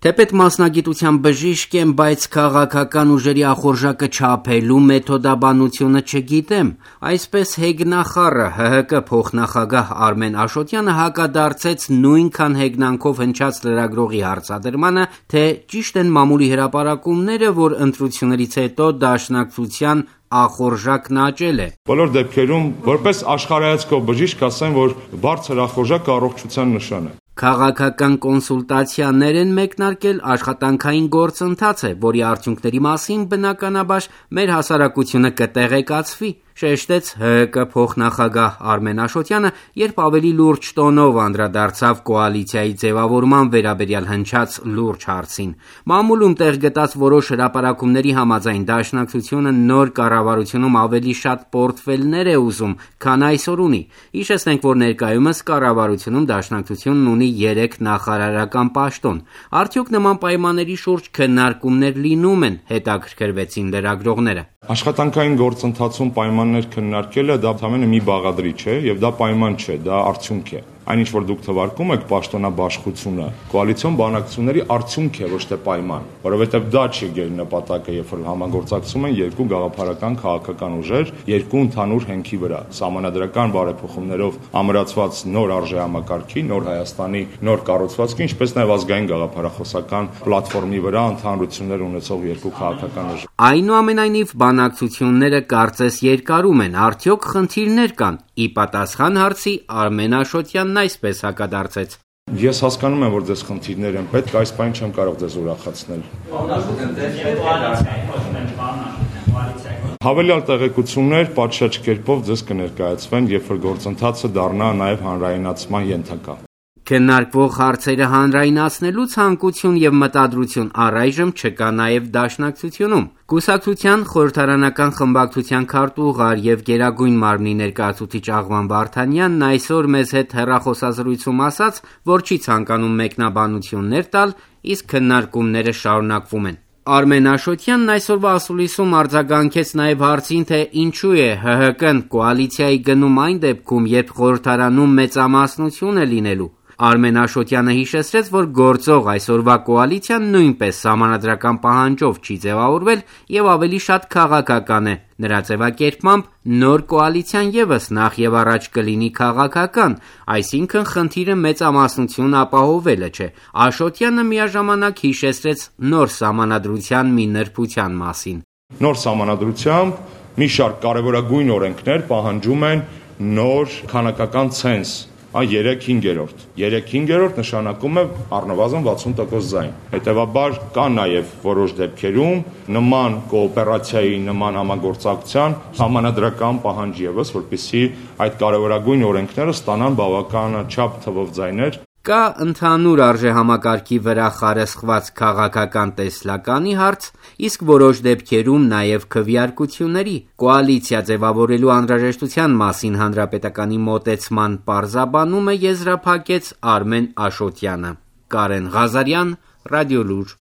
Թեպետ մասնագիտության բժիշկ եմ, բայց քաղաքական ուժերի ախորժակը չափելու մեթոդաբանությունը չգիտեմ, այսպես հեգնախառը ՀՀԿ փոխնախագահ Արմեն Աշոտյանը հակադարձեց նույնքան հեգնանքով հնչած լրագրողի հարցադրմանը, թե ճիշտ են մամուլի հրապարակումները, որ ընտրություններից հետո Դաշնակցության ախորժակն աճել է։ Բոլոր դեպքերում, որպես աշխարհայացքով բժիշկ, ասեմ, որ բարձր ախորժակը առողջության նշան է։ Քաղաքական կոնսուլտացիաներ են մեկնարկել, աշխատանքային գործընթաց է, որի արդյունքների մասին բնականաբար մեր հասարակությունը կտեղեկացվի, շեշտեց ՀՀԿ փոխնախագահ Արմեն Աշոտյանը, երբ ավելի լուրջ տոնով անդրադարձավ կոալիցիայի ձևավորման վերաբերյալ հնչած լուրջ հարցին։ Մամուլում տեղ գտած որոշ հրապարակումների համաձայն Դաշնակցությունը նոր կառավարությունում ավելի շատ պորտֆելներ է ուզում, քան այսօր ունի։ Հիշեցնենք, որ ներկայումս կառավարությունում Դաշնակցությունն ունի 3 նախարարական պաշտոն։ Արդյոք նման պայմանների շուրջ քննարկումներ լինում են, հետաքրքրվեցին լրագրողները։ Աշխատանքային գործընթացում պայմաններ քննարկելը դա ամենը մի բաղադրիչ է եւ դա պայման չէ, դա արդյունք է։ Այնինչ որ դուք թվարկում եք պաշտոնաբաշխությունը, կոալիցիոն բանակցությունների արդյունք է, ոչ թե պայման, որովհետեւ դա չի գերնպատակը, երբ որ համագործակցում են երկու գաղափարական քաղաքական ուժեր, երկու ընդհանուր հենքի վրա, սահմանադրական բարեփոխումներով ամրացված նոր արժեհամակարգի, նոր Հայաստանի նոր կառուցվածքի, ինչպես նաեւ ազգային գաղափարախոսական պլատֆորմի վրա ընդհանրություններ ունեցող երկու քաղաքական ուժեր։ Այնուամենայնիվ բանակցությունները կարծես երկարում են, արդյոք խնդիրներ կան։ Ի պատասխան հարցի Արմեն Աշոտյանն այսպես հակադարձեց. Ես հասկանում եմ, որ ձեզ խնդիրներ են, պետք այս բան չեմ կարող ձեզ ուրախացնել։ Հավելյալ տեղեկություններ պատշաճ կերպով ձեզ կներկայացվեն, երբ որ գործընթացը դառնա նաև հանրայնացման ենթակա։ Քննարկվող հարցերը հանրայնացնելու ցանկություն եւ մտադրություն առայժմ չկա նաեւ Դաշնակցությունում։ Կուսակցության խորհրդարանական խմբակցության քարտուղար եւ Գերագույն մարմնի ներկայացուցիչ Աղվան Վարդանյանն այսօր մեզ հետ հեռախոսազրույցում ասաց, որ չի ցանկանում մեկնաբանություններ տալ, իսկ քննարկումները շարունակվում են։ Արմեն Աշոտյանն այսօրվա ասուլիսում արձագանքեց նաև հարցին, թե ինչու է ՀՀԿ-ն կոալիցիայի գնում այն դեպքում, երբ խորհրդարանում մեծամասնություն է լինելու։ Արմեն Աշոտյանը հիշեցրեց, որ գործող այսօրվա կոալիցիան նույնպես սահմանադրական պահանջով չի ձևավորվել եւ ավելի շատ քաղաքական է։ Նրա ձևակերպմամբ նոր կոալիցիան եւս նախ եւ առաջ կլինի քաղաքական, այսինքն խնդիրը մեծամասնություն ապահովելը չէ։ Աշոտյանը միաժամանակ հիշեցրեց նոր սահմանադրության մի նրբության մասին։ Նոր սահմանադրությամբ մի շարք կարևորագույն օրենքներ պահանջում են նոր քանակական ցենզ 3/5։ 3/5 նշանակում է առնվազն 60% ձայն։ Հետևաբար կա նաև որոշ դեպքերում նման կոոպերացիայի, նման համագործակցության համանadrական պահանջ ևս, որպեսզի այդ կարևորագույն օրենքները ստանան բավականաչափ թվով ձայներ։ Կա ընդհանուր արժեհամակարգի վրա խարսխված քաղաքական տեսլականի հարց, իսկ որոշ դեպքերում նաև քվեարկությունների, կոալիցիա ձևավորելու անհրաժեշտության մասին հանրապետականի մոտեցման պարզաբանումը եզրափակեց Արմեն Աշոտյանը։ Կարեն Ղազարյան, Ռադիոլուր։